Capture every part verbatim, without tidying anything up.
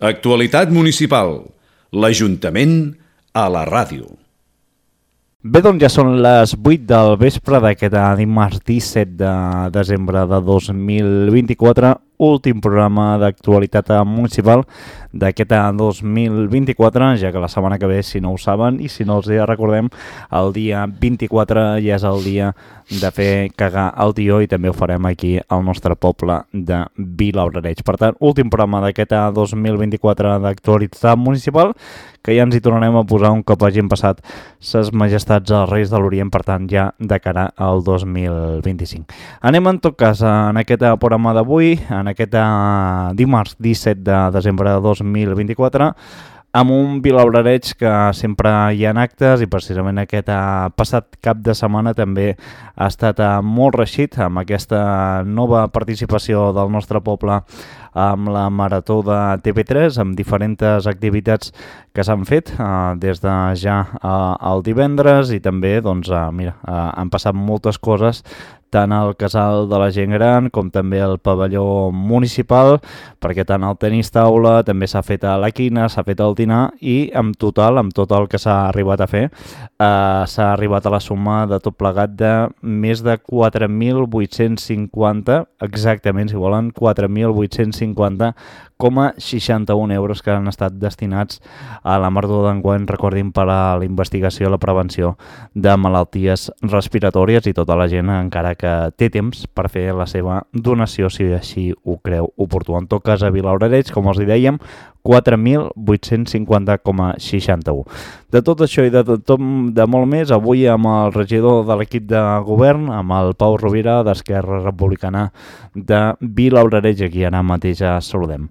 Actualitat municipal. L'Ajuntament a la ràdio. Bé, doncs ja són les vuit del vespre d'aquest dimarts disset de desembre de dos mil vint-i-quatre, últim programa d'actualitat municipal d'aquest dos mil vint-i-quatre, ja que la setmana que ve, si no ho saben i si no els recordem, el dia vint-i-quatre ja és el dia de fer cagar el tió i també ho farem aquí al nostre poble de Vilabrareig. Per tant, últim programa d'aquest dos mil vint-i-quatre d'actualitat municipal, que ja ens hi tornarem a posar un cop hagin passat ses majestats als Reis de l'Orient, per tant ja de cara al dos mil vint-i-cinc. Anem en tot cas en aquest programa d'avui, en aquest dimarts disset de desembre de dos mil vint-i-quatre, amb un Vilabrareig que sempre hi ha actes i precisament aquest passat cap de setmana també ha estat molt reeixit amb aquesta nova participació del nostre poble amb la Marató de T V tres, amb diferents activitats que s'han fet eh, des de ja eh, el divendres i també doncs, eh, mira, eh, han passat moltes coses tant al Casal de la Gent Gran com també al pavelló municipal, perquè tant el tenis taula, també s'ha fet a la quina, s'ha fet al dinar i en total, amb tot el que s'ha arribat a fer, eh, s'ha arribat a la suma de tot plegat de més de quatre mil vuit-cents cinquanta, exactament, si volen, quatre mil vuit-cents cinquanta coma seixanta-un euros que han estat destinats a la Marató d'enguany, recordin, per a la investigació i la prevenció de malalties respiratòries i tota la gent encara que té temps per fer la seva donació si així ho creu oportú. En tot cas, a Vilabrareig, com els hi dèiem, quatre mil vuit-cents cinquanta coma seixanta-un. De tot això i de, tot, de molt més, avui amb el regidor de l'equip de govern, amb el Pau Rovira, d'Esquerra Republicana de Vilabrareig, aquí ara mateix ja saludem.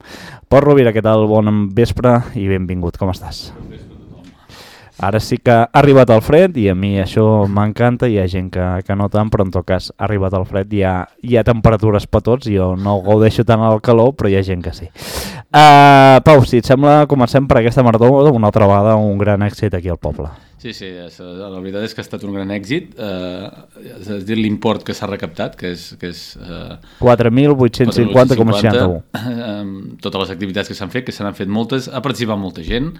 Pau Rovira, què tal? Bon vespre i benvingut, com estàs? Ara sí que ha arribat el fred i a mi això m'encanta, hi ha gent que, que no tant, però en tot cas ha arribat el fred, hi ha, hi ha temperatures per tots, jo no gaudeixo tant el calor, però hi ha gent que sí. Uh, Pau, si et sembla, comencem per aquesta marató, una altra vegada un gran èxit aquí al poble. Sí, sí, la veritat és que ha estat un gran èxit, eh, és dir, l'import que s'ha recaptat, que és... Que és eh, quatre mil vuit-cents cinquanta coma seixanta-un. Eh, totes les activitats que s'han fet, que se n'han fet moltes, ha participat molta gent,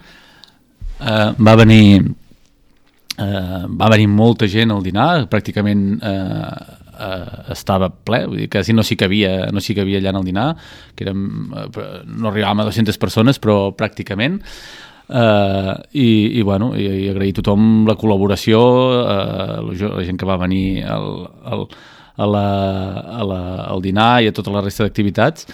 eh, va venir eh, va venir molta gent al dinar, pràcticament eh, eh, estava ple, vull dir, quasi no s'hi cabia, no s'hi cabia allà en el dinar, que érem, eh, no arribàvem a dues-centes persones, però pràcticament. Uh, i, i, bueno, i, i agrair a tothom la col·laboració, uh, la, la gent que va venir al, al, a la, a la, al dinar i a tota la resta d'activitats.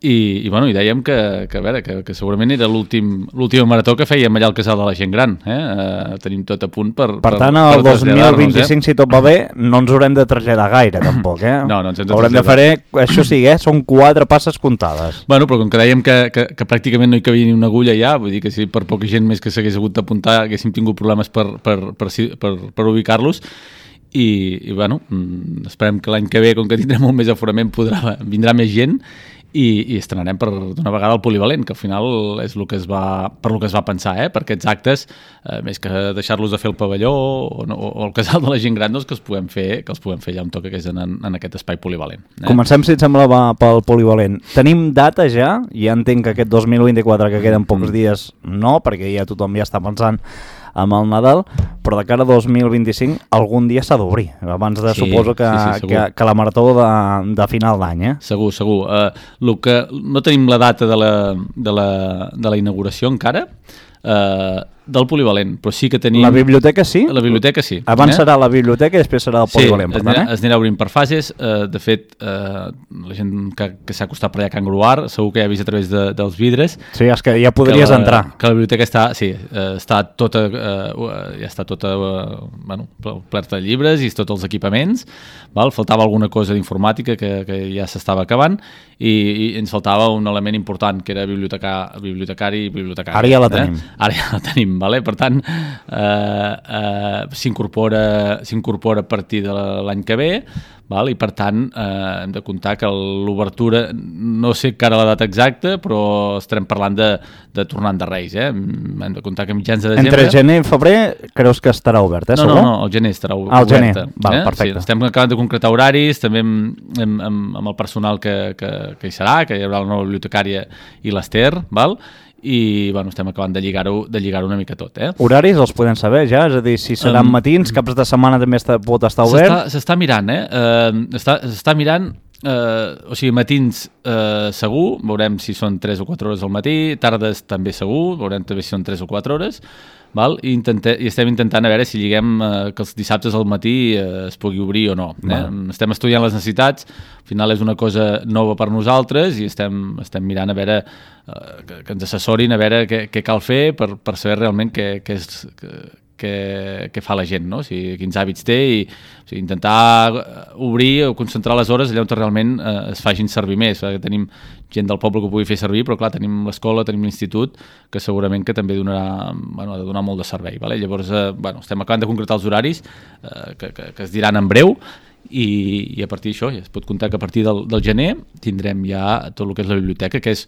I, i, bueno, i dèiem que, que, a veure, que, que segurament era l'última marató que fèiem allà al Casal de la Gent Gran. Eh? Uh, tenim tot a punt per... Per, per tant, el dos mil vint-i-cinc, eh? Si tot va bé, no ens haurem de traslladar gaire, tampoc. Eh? No, no ens hem de haurem traslladar. de fer, això sí, eh? Són quatre passes comptades. Bueno, però com que dèiem que, que, que pràcticament no hi cabia ni una agulla ja, vull dir que si per poca gent més que s'hagués hagut d'apuntar haguéssim tingut problemes per, per, per, per, per ubicar-los. I, i bueno, esperem que l'any que ve, com que tindrem molt més aforament, podrà, vindrà més gent i, i estrenarem per d'una vegada el polivalent, que al final és el que es va, per el que es va pensar, eh? Per aquests actes, eh, més que deixar-los de fer el pavelló o, no, o el Casal de la Gent Gran, doncs que els puguem fer, que els puguem fer ja un toc que és en, en aquest espai polivalent. Eh? Comencem, si et sembla, va pel polivalent. Tenim data ja, ja entenc que aquest dos mil vint-i-quatre, que queden pocs dies, no, perquè ja tothom ja està pensant amb el Nadal, però de cara a dos mil vint-i-cinc algun dia s'ha d'obrir, abans de, sí, suposo que, sí, sí, que, que la marató de, de final d'any, eh? Segur, segur. Uh, que, no tenim la data de la, de la, de la inauguració encara, uh, del polivalent, però sí que tenim... La biblioteca sí? La biblioteca sí. Abans eh? serà la biblioteca i després serà el polivalent. Sí, es, anirà, es anirà obrint per fases. Uh, de fet, uh, la gent que, que s'ha acostat per allà a Can Gruar segur que ja ha vist a través de, dels vidres. Sí, és que ja podries que la, entrar. Que la biblioteca està, sí, uh, està tota, uh, ja està tota, uh, bueno, plerta de llibres i tots els equipaments. Val? Faltava alguna cosa d'informàtica que, que ja s'estava acabant i, i ens faltava un element important, que era biblioteca, bibliotecari i bibliotecari. Ara ja la tenim. Eh? Ara ja la tenim. Vale? Per tant, eh, eh, s'incorpora s'incorpora a partir de l'any que ve, val? I per tant eh, hem de comptar que l'obertura, no sé encara la data exacta, però estarem parlant de, de tornant de Reis. Eh? Hem de comptar que mitjans de desembre... Entre gener i febrer creus que estarà obert, eh? No, no, no, el gener estarà obert. Ah, el gener, val, eh? perfecte. Sí, estem acabant de concretar horaris, també amb, amb, amb el personal que, que, que hi serà, que hi haurà la nova bibliotecària i l'Ester, val? i bueno, estem acabant de lligar-ho de lligar-ho una mica tot. Eh? Horaris els podem saber ja? És a dir, si seran um, matins, caps de setmana també està, pot estar obert? S'està mirant, eh? Uh, està, s'està mirant, uh, o sigui, matins uh, segur, veurem si són tres o quatre hores al matí, tardes també segur, veurem també si són tres o quatre hores, val? I, intente, i estem intentant a veure si lliguem eh, que els dissabtes al matí eh, es pugui obrir o no. Eh? Estem estudiant les necessitats, al final és una cosa nova per nosaltres i estem, estem mirant a veure eh, que, que ens assessorin a veure què, què cal fer per, per saber realment què, què és... Que, que, que fa la gent, no? O sigui, quins hàbits té i o sigui, intentar obrir o concentrar les hores allà on realment eh, es facin servir més. Perquè tenim gent del poble que ho pugui fer servir, però clar, tenim l'escola, tenim l'institut, que segurament que també donarà, bueno, ha de donar molt de servei. Vale? Llavors, eh, bueno, estem acabant de concretar els horaris eh, que, que, que es diran en breu, i, i a partir d'això ja es pot comptar que a partir del, del gener tindrem ja tot el que és la biblioteca, que és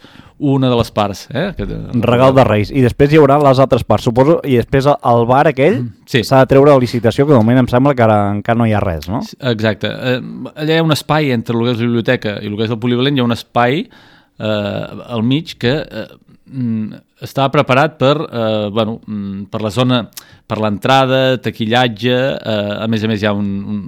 una de les parts. Eh? Que, regal de Reis. I després hi haurà les altres parts, suposo, i després el bar aquell s'ha sí. de treure a licitació, que de moment em sembla que ara encara no hi ha res, no? Exacte. Eh, allà hi ha un espai entre el que és la biblioteca i el que és el polivalent, hi ha un espai eh, al mig que eh, està preparat per, eh, bueno, per la zona, per l'entrada, taquillatge, eh, a més a més hi ha un,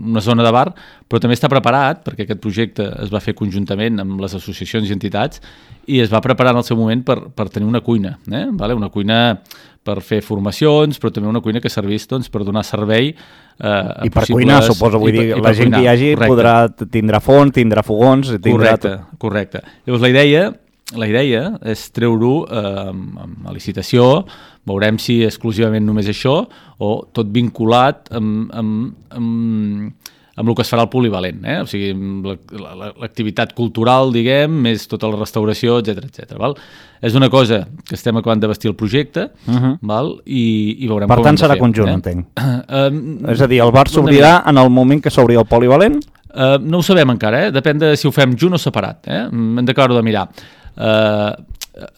una zona de bar, però també està preparat, perquè aquest projecte es va fer conjuntament amb les associacions i entitats, i es va preparar en el seu moment per, per tenir una cuina, eh? Vale? Una cuina per fer formacions, però també una cuina que servís doncs, per donar servei eh, a I per cuinar, suposo, vull dir, la gent cuinar. Que hi hagi correcte. Podrà tindrà forn, tindrà fogons... Tindrà... Correcte, correcte. Llavors la idea... La idea és treure-ho eh, a licitació, veurem si exclusivament només això o tot vinculat amb, amb, amb, amb el que es farà al polivalent, eh? O sigui, l'activitat cultural, diguem, més tota la restauració, etcètera, etcètera. Val? És una cosa que estem acabant de vestir el projecte, uh-huh. val? I, i veurem per com tant serà fer, conjunt, eh? entenc. Uh, és a dir, el bar s'obrirà en el moment que s'obri el polivalent? Uh, no ho sabem encara, eh? Depèn de si ho fem junt o separat. Eh? Hem d'acabar-ho de mirar. Uh,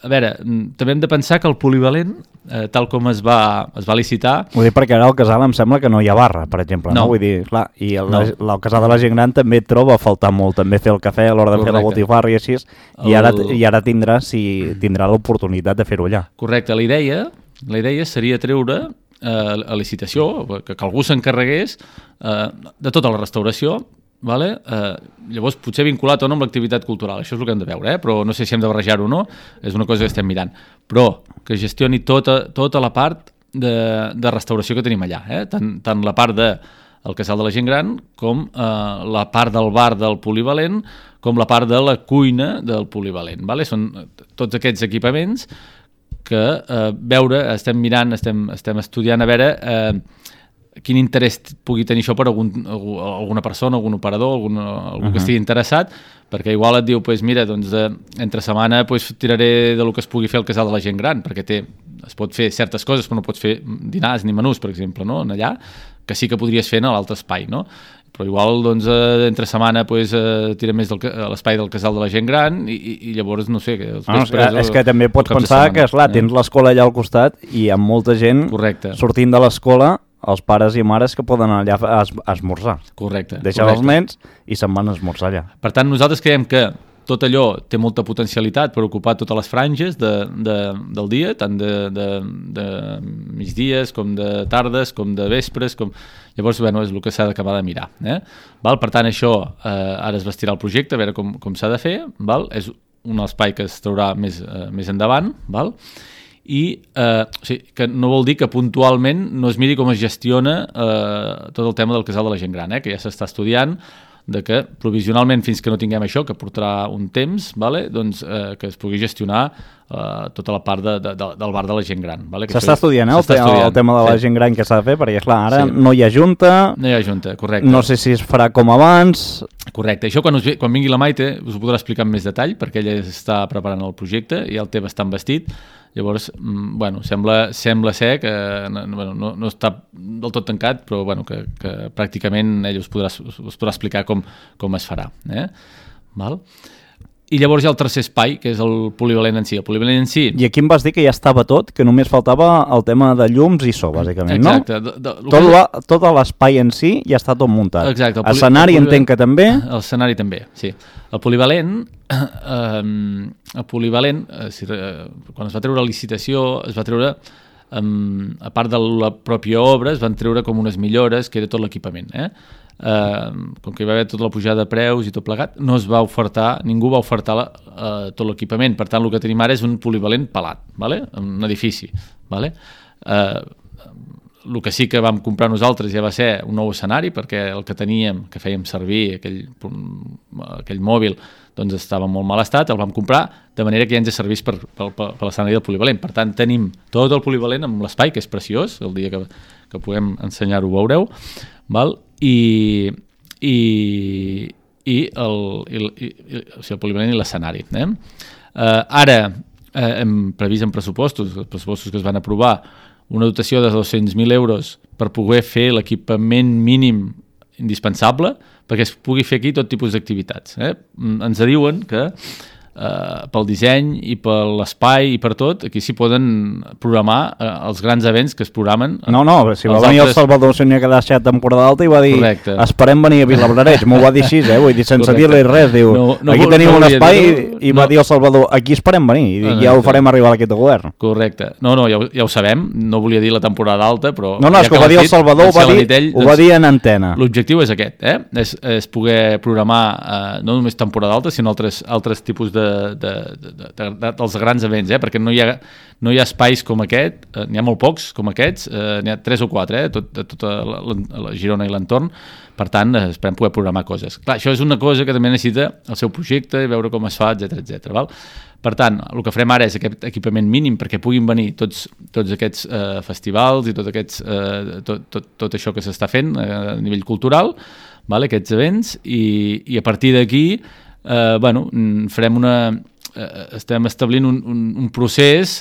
a veure, també hem de pensar que el polivalent, uh, tal com es va, es va licitar... Vull dir, perquè ara al casal em sembla que no hi ha barra, per exemple. No. No? Vull dir, clar, i el, no. la, el casal de la gent gran també et troba a faltar molt, també fer el cafè a l'hora de Correcte. Fer la botifarra i així, el... i ara, i ara tindrà, si, tindrà l'oportunitat de fer-ho allà. Correcte, la idea, la idea seria treure uh, a licitació, que, que algú s'encarregués uh, de tota la restauració. Vale? Eh, llavors potser vinculat o no amb l'activitat cultural, això és el que hem de veure, eh? Però no sé si hem de barrejar-ho o no, és una cosa que estem mirant, però que gestioni tota, tota la part de, de restauració que tenim allà, eh? tant, tant la part del de casal de la gent gran com eh, la part del bar del polivalent com la part de la cuina del polivalent, vale? Són tots aquests equipaments que eh, veure, estem mirant, estem, estem estudiant a veure eh, quin interès pugui tenir això per algun, alguna persona, algun operador, algun, algú uh-huh. que estigui interessat, perquè igual et diu, pues mira, doncs, de, entre setmana pues, tiraré de lo que es pugui fer al casal de la gent gran, perquè té, es pot fer certes coses, però no pots fer dinars ni menús, per exemple, no? Allà, que sí que podries fer en l'altre espai, no? Però igual, doncs, eh, entre setmana pues, eh, tira més del, a l'espai del casal de la gent gran i, i, i llavors, no sé... Que els no, vespres, és, és que també pots pensar que, esclar, eh? Tens l'escola allà al costat i hi ha molta gent Correcte. Sortint de l'escola, els pares i mares que poden anar allà a, es, a esmorzar. Correcte. Deixen correcte. Els nens i se'n van a esmorzar allà. Per tant, nosaltres creiem que tot allò té molta potencialitat per ocupar totes les franges de, de, del dia, tant de, de, de migdies, com de tardes, com de vespres, com... Llavors, bueno, és el que s'ha d'acabar de mirar. Eh? Val? Per tant, això eh, ara es vestirà el projecte, a veure com, com s'ha de fer. Val? És un espai que es traurà més, eh, més endavant, val? I eh, o sigui, que no vol dir que puntualment no es miri com es gestiona eh, tot el tema del casal de la gent gran, eh? Que ja s'està estudiant, de que provisionalment fins que no tinguem això, que portarà un temps, vale? Doncs, eh, que es pugui gestionar eh, tota la part de, de, de, del bar de la gent gran. Vale? S'està estudiant, eh, el, te estudiant. El tema de la sí. gent gran que s'ha de fer, perquè clar, ara sí. no hi ha junta, no hi ha junta, correcte. No sé si es farà com abans... Correcte, això quan, us, quan vingui la Maite us ho podrà explicar amb més detall, perquè ella està preparant el projecte i el té bastant vestit. Llavors, bueno, sembla, sembla ser que bueno, no, no està del tot tancat, però bueno, que, que pràcticament ell us podrà, us podrà explicar com, com es farà. Eh? Val? I llavors hi ha el tercer espai, que és el polivalent en si. El polivalent en si... I aquí em vas dir que ja estava tot, que només faltava el tema de llums i so, bàsicament, Exacte. no? De, de, tot, la, tot l'espai en si ja està tot muntat. Exacte. El poli... Escenari el polivalent... entenc que també... L'escenari també, sí. El polivalent, eh, el polivalent eh, si, eh, quan es va treure la licitació, es va treure, eh, a part de la pròpia obra, es van treure com unes millores, que era tot l'equipament, eh? Uh, com que hi va haver tota la pujada de preus i tot plegat, no es va ofertar, ningú va ofertar la, uh, tot l'equipament. Per tant, el que tenim ara és un polivalent pelat, vale? Un edifici. Vale? Uh, el que sí que vam comprar nosaltres ja va ser un nou escenari, perquè el que teníem, que fèiem servir, aquell, aquell mòbil, doncs estava en molt mal estat, el vam comprar, de manera que ja ens servís per, per, per l'escenari del polivalent. Per tant, tenim tot el polivalent amb l'espai, que és preciós, el dia que, que puguem ensenyar-ho veureu, val? i i, i, el, i, i, i o sigui, el polivalent i l'escenari. Eh? Uh, ara eh, hem previst en pressupostos, els pressupostos que es van aprovar, una dotació de dos-cents mil euros per poder fer l'equipament mínim indispensable perquè es pugui fer aquí tot tipus d'activitats. Eh? Ens diuen que Uh, pel disseny i per l'espai i per tot, aquí s'hi poden programar uh, els grans events que es programen. No, no, si va venir altres... el Salvador Senyor que ha deixat temporada alta i va dir, correcte, esperem venir a Vilablareix, m'ho va dir així, eh? Vull dir, sense dir-li res, diu, no, no, aquí tenim no un espai dir, no, i va no. dir el Salvador, aquí esperem venir, i no, no, ja ho farem arribar a aquest govern. Correcte, no, no, ja ho, ja ho sabem, no volia dir la temporada alta, però... No, no, és ja que, que ho va dir el Salvador, ho va dir, ell, ho va dir en antena. L'objectiu és aquest, eh? És, és poder programar uh, no només temporada alta, sinó altres, altres tipus de, de De, de, de, dels grans events, eh? Perquè no hi ha, no hi ha espais com aquest, eh, n'hi ha molt pocs com aquests, eh, n'hi ha tres o quatre, eh? Tot, tota la, la Girona i l'entorn, per tant, eh, esperem poder programar coses. Clar, això és una cosa que també necessita el seu projecte i veure com es fa, etcètera, etcètera. Val? Per tant, el que farem ara és aquest equipament mínim perquè puguin venir tots, tots aquests eh, festivals i tot, aquests, eh, tot, tot, tot això que s'està fent eh, a nivell cultural, val? Aquests events, i, i a partir d'aquí eh, bueno, farem una... Eh, estem establint un, un, un procés,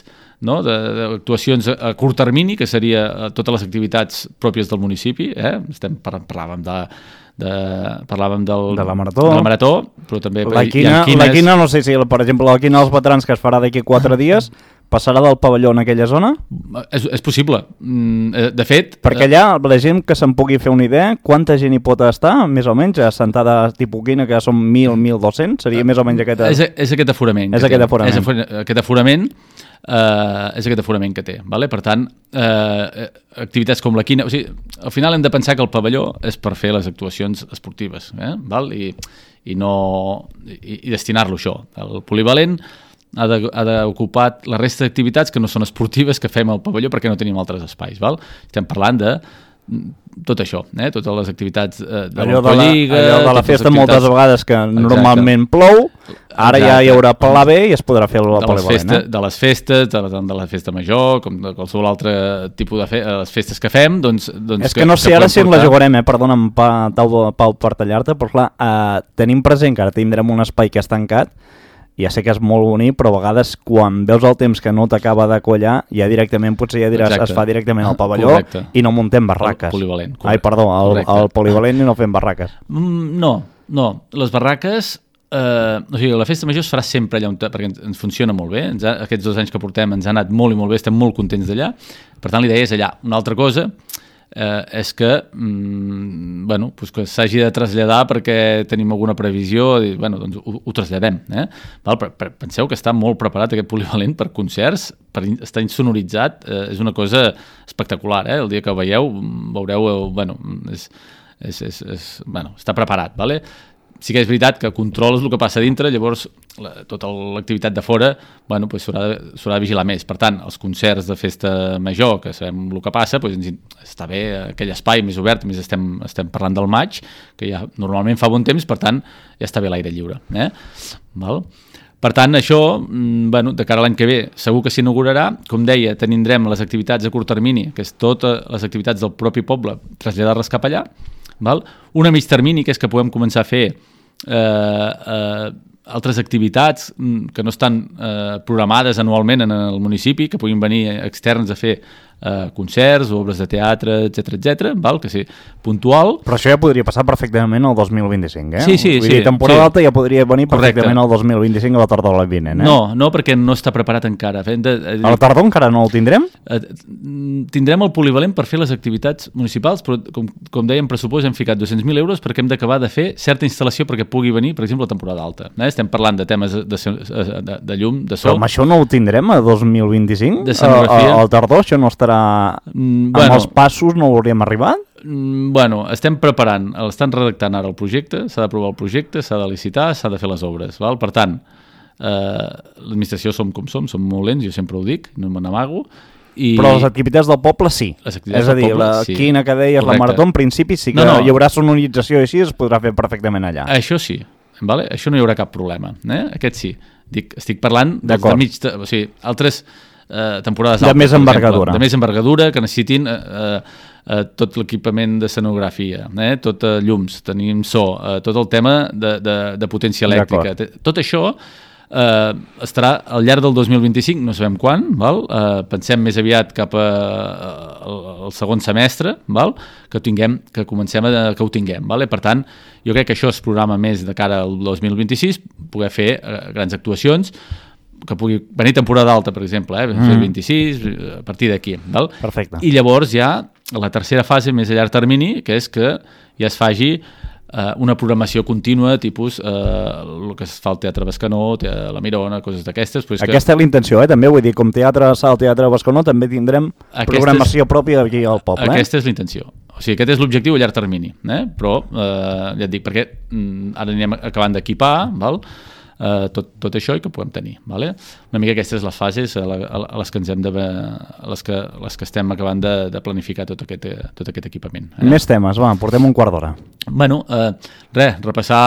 no? d'actuacions a, a curt termini, que seria totes les activitats pròpies del municipi, eh? Estem par parlàvem de, de parlàvem del, de la marató, de la marató però també la quina, quines... la quina, no sé si per exemple la quina dels veterans que es farà d'aquí quatre dies passarà del pavelló en aquella zona? És, és possible, de fet... Perquè allà, la gent que se'n pugui fer una idea, quanta gent hi pot estar, més o menys, assentada tipus quina, que són mil, mil dos-cents, seria més o menys aquest... És, és aquest aforament. És aquest aforament. És aquest aforament, eh, és aquest aforament que té, vale? Per tant, eh, activitats com la quina... O sigui, al final hem de pensar que el pavelló és per fer les actuacions esportives, eh? Val? I, i, no, i, i destinar-lo a això. El polivalent ha d'ocupar la resta d'activitats que no són esportives que fem al pavelló perquè no tenim altres espais. Val? Estem parlant de tot això, eh? Totes les activitats eh, de l'Autolliga... Allò de la festa moltes vegades que exacte, normalment plou, ara exacte, ja hi haurà pla B i es podrà fer el polivalent. Eh? De les festes, de la, de la festa major, com de qualsevol altre tipus de fe, les festes que fem, doncs... doncs és que, que no sé que ara si portar... la jugarem, eh? Perdona'm, Pau, Pau per tallar-te, però clar, eh, tenim present que ara tindrem un espai que és tancat, ja sé que és molt bonic, però a vegades quan veus el temps que no t'acaba de quallar, ja directament potser ja diràs, exacte, es fa directament al pavelló correcte, i no muntem barraques. El polivalent. Correcte. Ai, perdó, el, el polivalent i no fem barraques. Mm, no, no. Les barraques, eh, o sigui, la festa major es farà sempre allà on, perquè ens, ens funciona molt bé. Ens ha, aquests dos anys que portem ens ha anat molt i molt bé, estem molt contents d'allà. Per tant, l'idea és allà. Una altra cosa eh, és que, mm, bueno, pues que s'hagi de traslladar perquè tenim alguna previsió, i, bueno, doncs ho, ho traslladem. Eh? Val? Per, per, penseu que està molt preparat aquest polivalent per concerts, per estar insonoritzat, eh, és una cosa espectacular. Eh? El dia que ho veieu, veureu, eh, bueno, és, és, és, és, bueno, està preparat. Vale? Sí que és veritat que controles el que passa dintre, llavors la, tota l'activitat de fora bueno, pues s'haurà de, de vigilar més. Per tant, els concerts de festa major, que sabem el que passa, pues ens, està bé aquell espai més obert, més estem, estem parlant del maig, que ja normalment fa bon temps, per tant, ja està bé l'aire lliure. Eh? Val? Per tant, això, bueno, de cara a l'any que ve, segur que s'inaugurarà. Com deia, tindrem les activitats a curt termini, que és totes les activitats del propi poble, traslladar-les cap allà. Val? Una mig termini, que és que podem començar a fer eh, eh, altres activitats que no estan eh, programades anualment en el municipi, que puguin venir externs a fer eh, concerts, obres de teatre, etcètera, etcètera, val? Que sí, puntual. Però això ja podria passar perfectament al dos mil vint-i-cinc, eh? Sí, sí, Vull sí. dir, temporada sí. alta ja podria venir Correcte. perfectament al dos mil vint-i-cinc a la tardor de l'any vinent, eh? No, no, perquè no està preparat encara. Hem de, de, A la tardor encara no el tindrem? eh, tindrem el polivalent per fer les activitats municipals, però com, com dèiem, pressupost hem ficat dos-cents mil euros perquè hem d'acabar de fer certa instal·lació perquè pugui venir, per exemple, la temporada alta. Eh? Estem parlant de temes de, de, de, de llum, de so. Però amb això no ho tindrem a dos mil vint-i-cinc? De escenografia. Al tardor això no estarà... Mm, Amb els passos no hauríem arribat? Mm, bueno, estem preparant, estan redactant ara el projecte, s'ha d'aprovar el projecte, s'ha de licitar, s'ha de fer les obres. Val? Per tant, eh, l'administració som com som, som molt lents, jo sempre ho dic, no me n'amago. I... Però les activitats del poble sí. Les activitats És a dir, del poble, la sí. quina que deies, Correcte. la marató, en principi sí que No, no. hi haurà sonorització i així es podrà fer perfectament allà. Això sí, vale? Això no hi haurà cap problema. Eh? Aquest sí. Dic, estic parlant dels de mig... De, o sigui, altres eh, temporades De altes, més per envergadura. exemple, de més envergadura, que necessitin eh, eh, eh, tot l'equipament d'escenografia, eh? tot eh, llums, tenim so, eh, tot el tema de, de, de potència elèctrica. Tot això eh, estarà al llarg del dos mil vint-i-cinc, no sabem quan, val? Eh, pensem més aviat cap a, al, al segon semestre, val? Que ho tinguem, que comencem a que ho tinguem. Vale? Per tant, jo crec que això es programa més de cara al dos mil vint-i-sis, poder fer eh, grans actuacions, que pugui venir temporada alta, per exemple, eh? Mm. vint-i-sis, a partir d'aquí. Perfecte. I llavors ja la tercera fase més a llarg termini, que és que ja es faci eh, una programació contínua, tipus eh, el que es fa al Teatre Bescanó, la Mirona, coses d'aquestes. Pues Aquesta que... és la intenció, eh? També vull dir, com teatre sala, teatre Bescanó, també tindrem Aquesta programació és... pròpia aquí al poble. Aquesta eh? és la intenció. O sigui, aquest és l'objectiu a llarg termini, eh? Però eh, ja et dic, perquè mm, ara anirem acabant d'equipar, val? Uh, tot, tot això i que puguem tenir. Vale? Una mica aquestes les fases a, la, a les que ens hem de, a les que, les que estem acabant de, de planificar tot aquest, tot aquest equipament. Eh? Més temes, va, portem un quart d'hora. Bueno, uh, res, repassar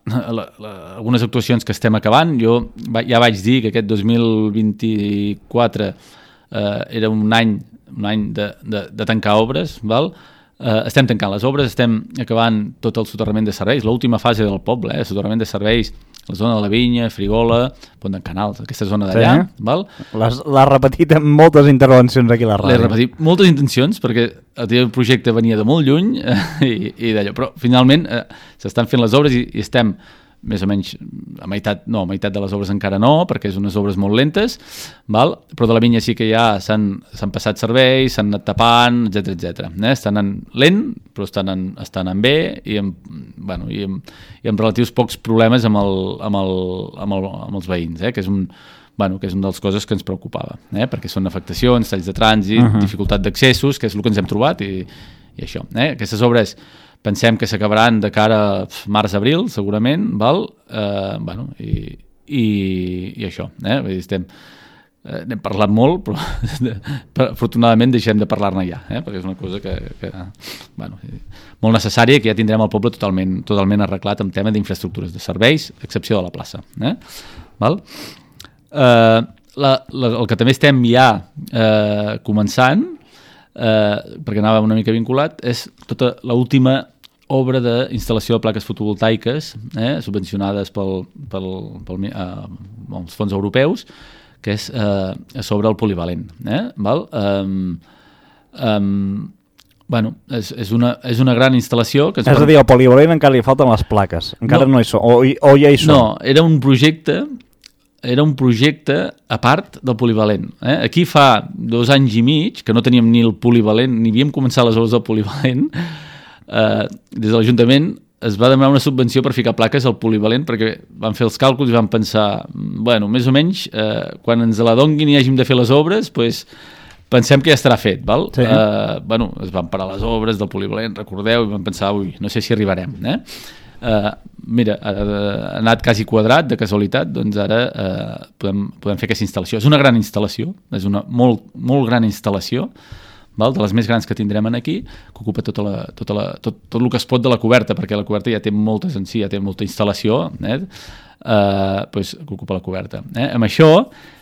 la, la, algunes actuacions que estem acabant. Jo va, ja vaig dir que aquest dos mil vint-i-quatre uh, era un any, un any de, de, de tancar obres, val? Uh, estem tancant les obres, estem acabant tot el soterrament de serveis, l'última fase del poble, eh? Soterrament de serveis, la zona de la Vinya, Frigola, Pont d'en Canals, aquesta zona d'allà. Sí. Val? L'ha repetit en moltes intervencions aquí a la ràdio. L'he repetit moltes intencions, perquè el projecte venia de molt lluny eh, i, i d'allò, però finalment eh, s'estan fent les obres i, i estem més o menys a meitat, no, a meitat de les obres encara no, perquè és unes obres molt lentes, val? Però de la Vinya sí que ja s'han passat serveis, s'han anat tapant, etcètera, etcètera. Eh? Estan en lent, però estan en, estan en bé i amb, bueno, i, amb, i amb relatius pocs problemes amb, el, amb, el, amb, el, amb els veïns, eh? que és un bueno, que és una de les coses que ens preocupava, eh? perquè són afectacions, talls de trànsit, uh-huh. dificultat d'accessos, que és el que ens hem trobat i, i això. Eh? Aquestes obres pensem que s'acabaran de cara a març-abril, segurament, val? Eh, bueno, i, i, i això. Eh? Estem, eh, n'hem parlat molt, però afortunadament deixem de parlar-ne ja, eh? perquè és una cosa que, que bueno, molt necessària, que ja tindrem el poble totalment, totalment arreglat en tema d'infraestructures de serveis, a excepció de la plaça. Eh? Val? Eh, la, la, el que també estem ja eh, començant, eh, perquè anava una mica vinculat, és tota l'última obra d'instal·lació de plaques fotovoltaiques eh, subvencionades pel, pel, pel, eh, els fons europeus, que és eh, sobre el polivalent. Eh? Val? Um, um, bueno, és, és, una, és una gran instal·lació. Que és a dir, al polivalent encara li falten les plaques, encara no, no hi són, o, o ja hi són. No, era un projecte era un projecte a part del polivalent. Eh? Aquí fa dos anys i mig, que no teníem ni el polivalent, ni havíem començat les obres del polivalent, eh, des de l'Ajuntament es va demanar una subvenció per ficar plaques al polivalent, perquè van fer els càlculs i van pensar, bueno, més o menys, eh, quan ens la donguin i hàgim de fer les obres, pues, pensem que ja estarà fet, val? Sí. Eh, bueno, es van parar les obres del polivalent, recordeu, i van pensar, ui, no sé si arribarem, eh? Uh, mira, ha, ha anat quasi quadrat de casualitat, doncs ara uh, podem, podem fer aquesta instal·lació. És una gran instal·lació, és una molt, molt gran instal·lació, val? De les més grans que tindrem aquí, que ocupa tota la, tota la, tot, tot el que es pot de la coberta, perquè la coberta ja té moltes en si, ja té molta instal·lació, eh? uh, pues, que ocupa la coberta. Eh? Amb això...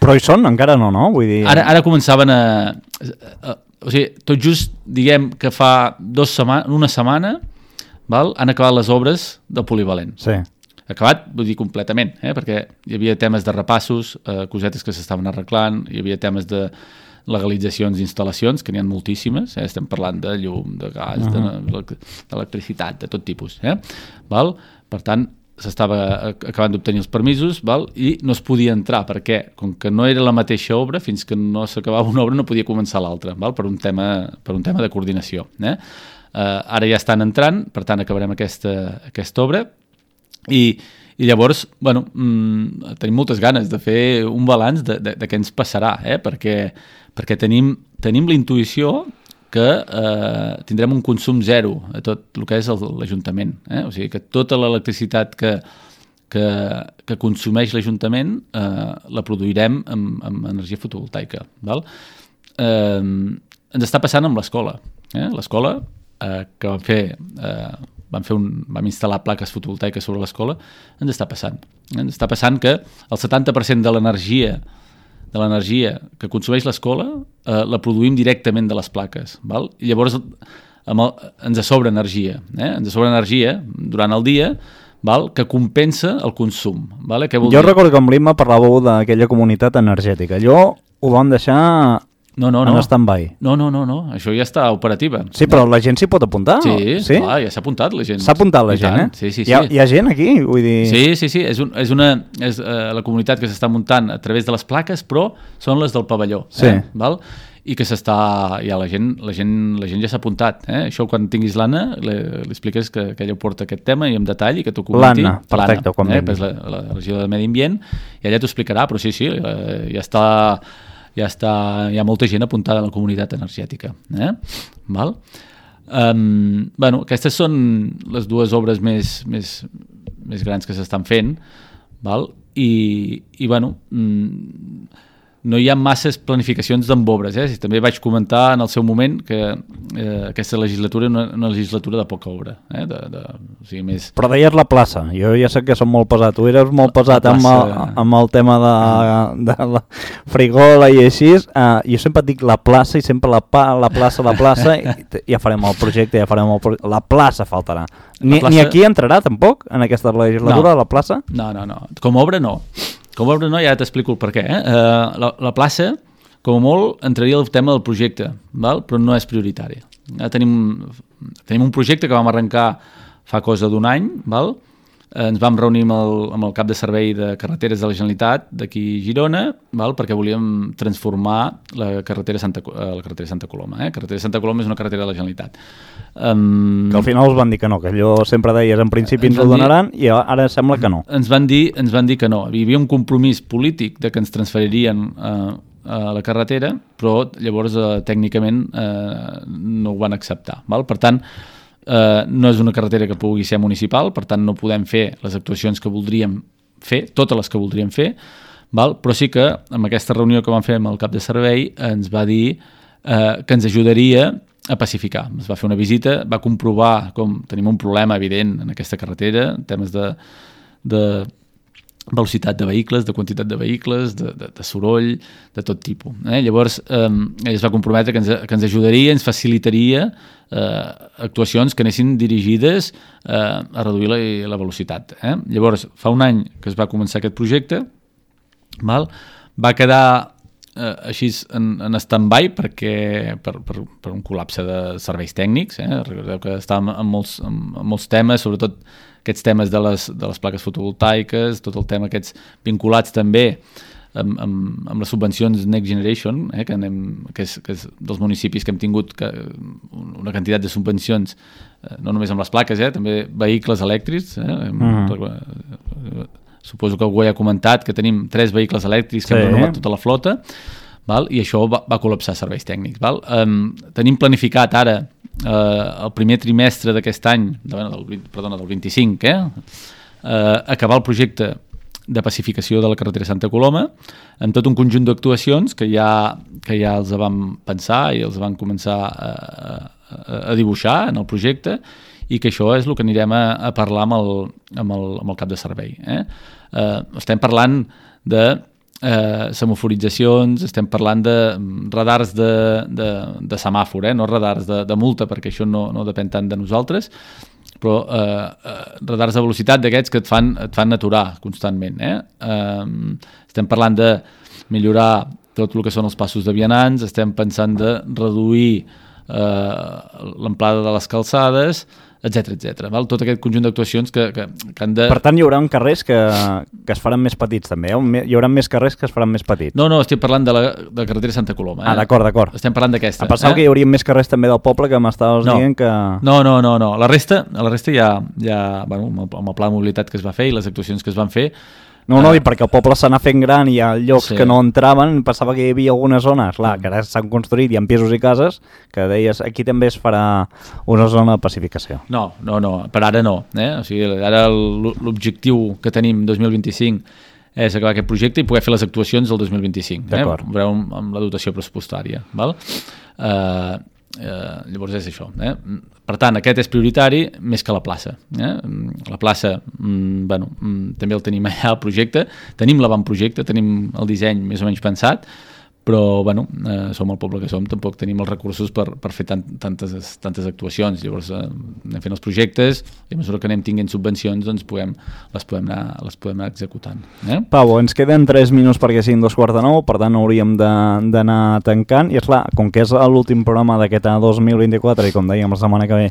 Però hi són? Encara no, no? Vull dir... Ara, ara començaven a, a... O sigui, tot just, diguem que fa dos setmanes, una setmana... Val? Han acabat les obres del polivalent. Sí. Acabat, vull dir completament, eh? perquè hi havia temes de repassos, eh, cosetes que s'estaven arreglant, hi havia temes de, legalitzacions d'instal·lacions, que n'hi ha moltíssimes, eh? Estem parlant de llum, de gas, uh-huh. d'electricitat, de tot tipus. Eh? Val? Per tant, s'estava acabant d'obtenir els permisos, val? I no es podia entrar, perquè com que no era la mateixa obra, fins que no s'acabava una obra no podia començar l'altra, val? Per un tema, per un tema de coordinació. Eh? Uh, ara ja estan entrant, per tant acabarem aquesta, aquesta obra, i, i llavors, bueno, mmm, tenim moltes ganes de fer un balanç de, de, de què ens passarà, eh? perquè, perquè tenim, tenim la intuïció que eh, tindrem un consum zero a tot el que és l'Ajuntament. Eh? O sigui, que tota l'electricitat que, que, que consumeix l'Ajuntament eh, la produirem amb, amb energia fotovoltaica. Val? Eh, ens està passant amb l'escola. Eh? L'escola, eh, que vam fer, eh, vam, fer un, vam instal·lar plaques fotovoltaiques sobre l'escola, ens està passant. Ens està passant que el setanta per cent de l'energia de l'energia que consumeix l'escola eh, la produïm directament de les plaques. Val? I llavors amb el, ens sobra energia. Eh? Ens sobra energia durant el dia, val? Que compensa el consum. Vale? Què vol jo dir? Recordo que amb l'Imma parlàveu d'aquella comunitat energètica. Allò ho vam deixar no, no, no. en stand-by. No, no, no, no, això ja està operativa. Sí, però la gent s'hi pot apuntar? Sí, sí? Clar, ja s'ha apuntat la gent. S'ha apuntat la I gent, tant. eh? Sí, sí, sí. Hi ha, hi ha gent aquí? Vull dir... Sí, sí, sí, és, un, és, una, és uh, la comunitat que s'està muntant a través de les plaques, però són les del pavelló. Sí. Eh? Val? I que s'està... Ja la gent, la gent, la gent ja s'ha apuntat. Eh? Això quan tinguis l'Anna, li, li expliques que, que ella ho porta aquest tema i en detall i que t'ho comenti. L'Anna, perfecte, quan eh? vingui. La, la regió de Medi Ambient, i ella t'ho explicarà, però sí, sí, ja està... ja està, hi ha molta gent apuntada a la comunitat energètica. Eh? Val? Um, bueno, aquestes són les dues obres més, més, més grans que s'estan fent, val? I, i bueno, mm, no hi ha masses planificacions d'embobres. Eh? També vaig comentar en el seu moment que eh, aquesta legislatura és una, una legislatura de poca obra. Eh? De, de, o sigui, més... Però deies la plaça. Jo ja sé que som molt pesat. Tu eres molt pesat amb el, amb el tema de, de la frigola i així. Uh, jo sempre dic la plaça i sempre la, pa, la plaça, la plaça, i ja farem el projecte, ja farem el projecte. La plaça faltarà. Ni, plaça... ni aquí entrarà tampoc, en aquesta legislatura, no. La plaça? No, no, no. Com a obra no. Com a obra no, ja t'explico el per què. Eh? Uh, la, la plaça, com a molt, entraria el tema del projecte, val? Però no és prioritari. Ja tenim, tenim un projecte que vam arrencar fa cosa d'un any, val? Eh, ens vam reunir amb el, amb el cap de servei de carreteres de la Generalitat d'aquí a Girona, val? Perquè volíem transformar la carretera Santa, la carretera Santa Coloma. Eh? La carretera Santa Coloma és una carretera de la Generalitat. Um, que al final us van dir que no, que allò sempre deies en principi ens, ens ho donaran dir, i ara sembla que no. Ens van dir, ens van dir que no. Hi havia un compromís polític de que ens transferirien eh, a la carretera, però llavors eh, tècnicament eh, no ho van acceptar. Val? Per tant, eh, no és una carretera que pugui ser municipal, per tant no podem fer les actuacions que voldríem fer, totes les que voldríem fer, val? Però sí que amb aquesta reunió que vam fer amb el cap de servei ens va dir eh, que ens ajudaria a pacificar. Es va fer una visita, va comprovar com tenim un problema evident en aquesta carretera, en temes de, de velocitat de vehicles, de quantitat de vehicles, de, de, de soroll, de tot tipus. Eh? Llavors, eh, ell es va comprometre que ens, que ens ajudaria, ens facilitaria eh, actuacions que anessin dirigides eh, a reduir la, la velocitat. Eh? Llavors, fa un any que es va començar aquest projecte, val? Va quedar eh, així en, en stand-by perquè, per, per, per un col·lapse de serveis tècnics. Eh? Recordeu que estàvem en molts, en, en molts temes, sobretot aquests temes de les, de les plaques fotovoltaiques, tot el tema aquests vinculats també amb, amb, amb les subvencions Next Generation, eh? que, anem, que, és, que és dels municipis que hem tingut que, una quantitat de subvencions, eh, no només amb les plaques, eh? També vehicles elèctrics. Eh? Mm. Suposo que algú ja ha comentat que tenim tres vehicles elèctrics que sí. Hem renovat tota la flota, val? I això va, va col·lapsar serveis tècnics. Val? Um, tenim planificat ara uh, el primer trimestre d'aquest any, de, del, perdona, del vint-i-cinc, eh? uh, acabar el projecte de pacificació de la carretera Santa Coloma amb tot un conjunt d'actuacions que ja, que ja els vam pensar i els van començar a, a, a dibuixar en el projecte, i que això és el que anirem a, a parlar amb el, amb, el, amb el cap de servei. Eh? Eh, estem parlant de eh, semaforitzacions, estem parlant de radars de, de, de semàfor, eh? No radars de, de multa, perquè això no, no depèn tant de nosaltres, però eh, eh, radars de velocitat d'aquests que et fan, et fan aturar constantment. Eh? Eh, estem parlant de millorar tot el que són els passos de vianants, estem pensant de reduir eh, l'amplada de les calçades, etcètera, etcètera. Val? Tot aquest conjunt d'actuacions que, que, que han de... Per tant, hi haurà carrers que, que es faran més petits, també. Hi haurà més carrers que es faran més petits. No, no, estic parlant de la, de la carretera Santa Coloma. Eh? Ah, d'acord, d'acord. Estem parlant d'aquesta. Em pensava eh? que hi hauria més carrers també del poble, que m'estaves no. dient que... No, no, no, no. La resta, la resta ja, ja bueno, amb, el, amb el pla de mobilitat que es va fer i les actuacions que es van fer. No, no, uh, i perquè el poble s'anà fent gran i hi ha llocs sí. que no entraven, pensava que hi havia algunes zones, clar, que ara s'han construït, hi ha pisos i cases, que deies, aquí també es farà una zona de pacificació. No, no, no, per ara no. Eh? O sigui, ara l'objectiu que tenim dos mil vint-i-cinc és acabar aquest projecte i poder fer les actuacions del dos mil vint-i-cinc. Eh? Veureu amb la dotació pressupostària. Val? Eh... Uh, llavors és això, eh? Per tant aquest és prioritari més que la plaça, eh? La plaça mm, bueno, mm, també el tenim allà al projecte, tenim l'avantprojecte, tenim el disseny més o menys pensat, però bueno, eh, som el poble que som, tampoc tenim els recursos per, per fer tant, tantes, tantes actuacions. Llavors eh, anem fent els projectes i a mesura que anem tinguent subvencions doncs podem, les, podem anar, les podem anar executant. Eh? Pau, ens queden tres minuts perquè siguin dos quarts de nou, per tant hauríem d'anar tancant i esclar, com que és l'últim programa d'aquest dos mil vint-i-quatre i com dèiem la setmana que ve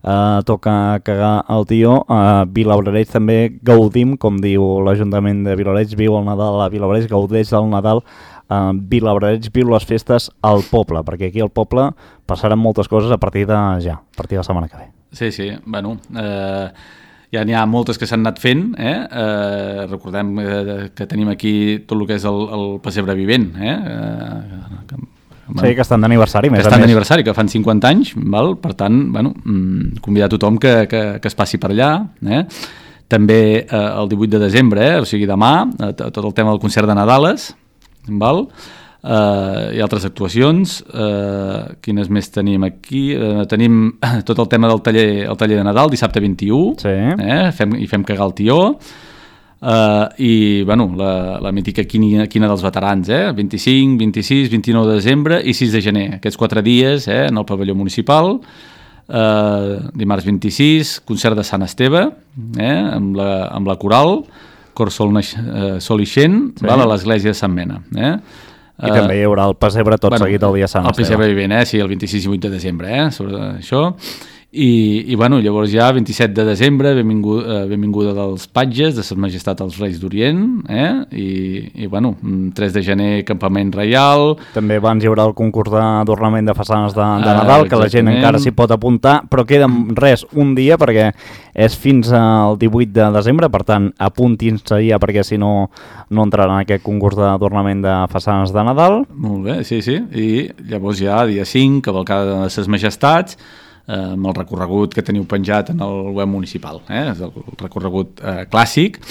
Uh, toca cagar el tió, a uh, Vilablareix també gaudim, com diu l'Ajuntament de Vilablareix, viu el Nadal a Vilablareix, gaudeix del Nadal a uh, Vilablareix, viu les festes al poble, perquè aquí al poble passaran moltes coses a partir de ja, a partir de la setmana que ve. Sí, sí, bueno... Eh... Ja n'hi ha moltes que s'han anat fent, eh? Eh, recordem eh, que tenim aquí tot el que és el, el pessebre vivent, eh? Eh, que, bueno, sí, que estan d'aniversari, més que estan d'aniversari, que fan cinquanta anys, val? Per tant, bueno, convidar tothom que, que, que es passi per allà, eh? També eh, el divuit de desembre, eh? O sigui demà, eh, tot el tema del concert de Nadales, val? Uh, hi ha altres actuacions, uh, quines més tenim aquí? Uh, tenim tot el tema del taller, el taller de Nadal, dissabte vint-i-u, sí. eh? fem, i fem cagar el tió, uh, i bueno, la, la mítica quina, quina dels veterans, eh? vint-i-cinc, vint-i-sis, vint-i-nou de desembre i sis de gener, aquests quatre dies eh? en el pavelló municipal. Uh, dimarts vint-i-sis, concert de Sant Esteve, eh? amb, la, amb la coral, cor sol, uh, sol ixent, sí. val? A l'església de Sant Mena, eh? I uh, també hi haurà el pessebre tot bueno, seguit el dia Sant Esteve. El pessebre vivent, eh? Sí, el vint-i-sis i vuit de desembre, eh? Sobre això. I, i bueno, llavors ja vint-i-set de desembre, benvinguda, benvinguda dels patges, de Sa Majestat als Reis d'Orient, eh? I, i bueno, tres de gener, campament reial. També abans hi haurà el concurs d'adornament de façanes de, de Nadal, uh, que la gent encara s'hi pot apuntar, però queda res, un dia, perquè és fins al divuit de desembre, per tant, apuntin-se ja, perquè si no, no entraran en aquest concurs d'adornament de façanes de Nadal. Molt bé, sí, sí. I llavors ja, dia cinc, cavalcada de Ses Majestats, eh, amb el recorregut que teniu penjat en el web municipal, eh? És el recorregut eh, clàssic.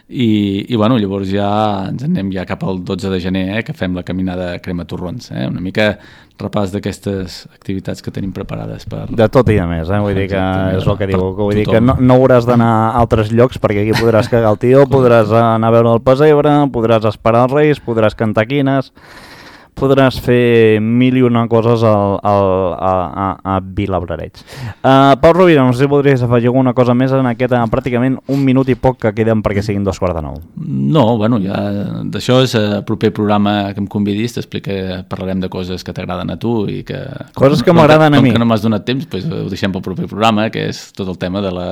I, i bueno, llavors ja ens anem ja cap al dotze de gener, eh, que fem la caminada crema torrons, eh? Una mica repàs d'aquestes activitats que tenim preparades per... De tot i de més, eh? Vull dir que és el que diu, vull dir que no, no hauràs d'anar a altres llocs perquè aquí podràs cagar el tió, podràs anar a veure el pessebre, podràs esperar els Reis, podràs cantar quines, podràs fer mil i una coses al, al, a, a, a Vilablareix. Uh, Pau Rovira, no sé si podries afegir alguna cosa més en aquest uh, pràcticament un minut i poc que queden perquè siguin dos quarts de nou. No, bueno, ja d'això és el proper programa que em convidis, t'explica, parlarem de coses que t'agraden a tu i que... Coses que m'agraden a mi. Com que no m'has donat temps, pues, ho deixem pel proper programa, que és tot el tema de la,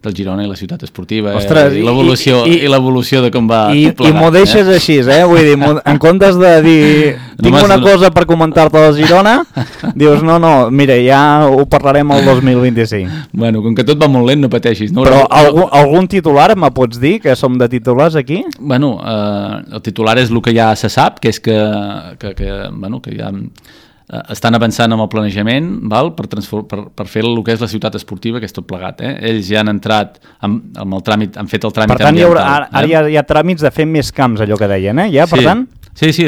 del Girona i la ciutat esportiva. Ostres, i l'evolució i, i, i l'evolució de com va i, tot plegat. I m'ho deixes eh? així, eh? Vull dir, en comptes de dir... Tinc una cosa per comentar-te del Girona, dius, no, no, mira, ja ho parlarem el dos mil vint-i-cinc. Bueno, com que tot va molt lent, no pateixis. No? Però algun, algun titular me pots dir, que som de titulars aquí? Bueno, eh, el titular és el que ja se sap, que és que, que, que, bueno, que ja eh, estan avançant amb el planejament, val? Per, per, per fer el que és la ciutat esportiva, que és tot plegat. Eh? Ells ja han entrat amb, amb el tràmit, han fet el tràmit ambiental. Per tant, hi haurà, ara, ara eh? hi, ha, hi ha tràmits de fer més camps, allò que deien, eh? Ja, per sí. tant... Sí, sí,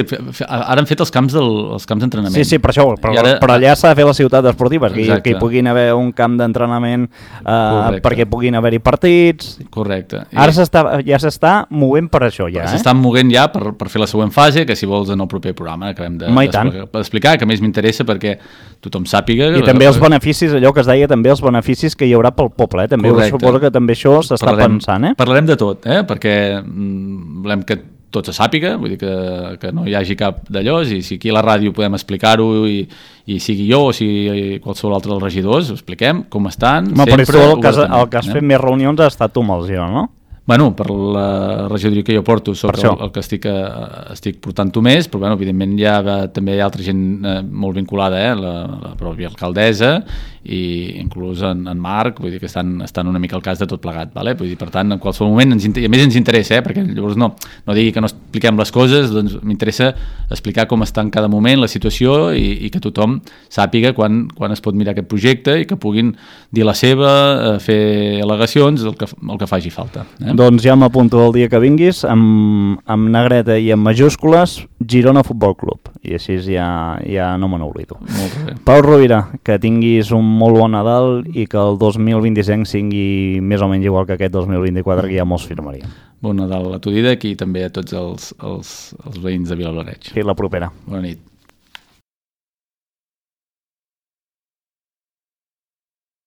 ara han fet els camps del, els camps d'entrenament. Sí, sí, per això, però, ara, però allà s'ha de fer la ciutat esportiva, que, que hi puguin haver un camp d'entrenament eh, perquè puguin haver-hi partits. Correcte. Ara ja s'està movent per això, ja. Eh? S'estan movent ja per, per fer la següent fase, que si vols en el proper programa acabem d'explicar, de, que més m'interessa perquè tothom sàpiga... I també els beneficis, allò que es deia, també els beneficis que hi haurà pel poble, eh? També suposo que també això s'està pensant, eh? Parlarem de tot, eh? Perquè mm, volem que tot se sàpiga, vull dir que, que no hi hagi cap d'allò, i si aquí a la ràdio podem explicar-ho i, i sigui jo o sigui qualsevol altre dels regidors, ho expliquem, com estan, no, sempre... Però el que, has, el que has eh? fet més reunions ha estat tu amb el Girona, no? Bueno, per la regidoria que jo porto soc el, el que estic, estic portant-ho més, però bueno, evidentment hi ha, també hi ha altra gent eh, molt vinculada, eh? la, la pròpia alcaldessa i inclús en, en Marc, vull dir que estan, estan una mica al cas de tot plegat, vale? Vull dir, per tant, en qualsevol moment, ens, i a més ens interessa, eh? Perquè llavors no, no digui que no expliquem les coses, doncs m'interessa explicar com està en cada moment la situació i, i que tothom sàpiga quan, quan es pot mirar aquest projecte i que puguin dir la seva, eh, fer al·legacions, el que, el que faci falta. Eh? Doncs ja m'apunto el dia que vinguis amb, amb negreta i amb majúscules Girona Futbol Club, i així ja, ja no me n'oblido. Molt bé. Pau Rovira, que tinguis un molt bon Nadal i que el dos mil vint-i-cinc sigui més o menys igual que aquest dos mil vint-i-quatre, que ja molts firmarien. Bon Nadal a tu, Didac, i també a tots els, els, els veïns de Vilablareix. Fins la propera. Bona nit.